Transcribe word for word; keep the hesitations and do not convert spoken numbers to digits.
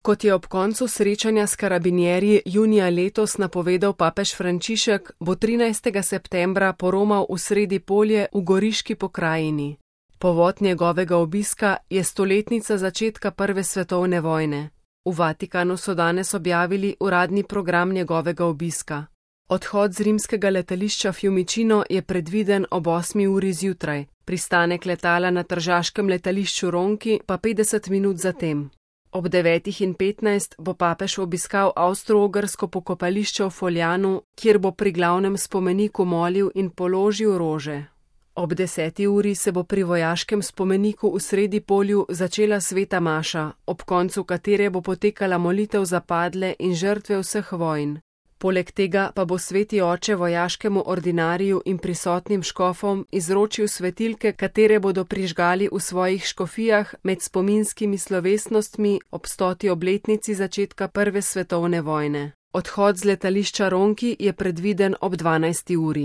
Kot je ob koncu srečanja s karabinjerji junija letos napovedal papež Frančišek, bo trinajstega septembra poromal v Sredipolje v Goriški pokrajini. Povod njegovega obiska je stoletnica začetka prve svetovne vojne. V Vatikanu so danes objavili uradni program njegovega obiska. Odhod z rimskega letališča Fiumicino je predviden ob osmi uri zjutraj, pristanek letala na tržaškem letališču Ronchi pa petdeset minut zatem. Ob devetih in petnajst bo papež obiskal avstro-ogrsko pokopališče v Foljanu, kjer bo pri glavnem spomeniku molil in položil rože. Ob deseti uri se bo pri vojaškem spomeniku v Sredipolju začela sveta maša, ob koncu katere bo potekala molitev za padle in žrtve vseh vojn. Poleg tega pa bo sveti oče vojaškemu ordinariju in prisotnim škofom izročil svetilke, katere bodo prižgali v svojih škofijah med spominskimi slovesnostmi ob stoti obletnici začetka prve svetovne vojne. Odhod z letališča Ronchi je predviden ob dvanajsti uri.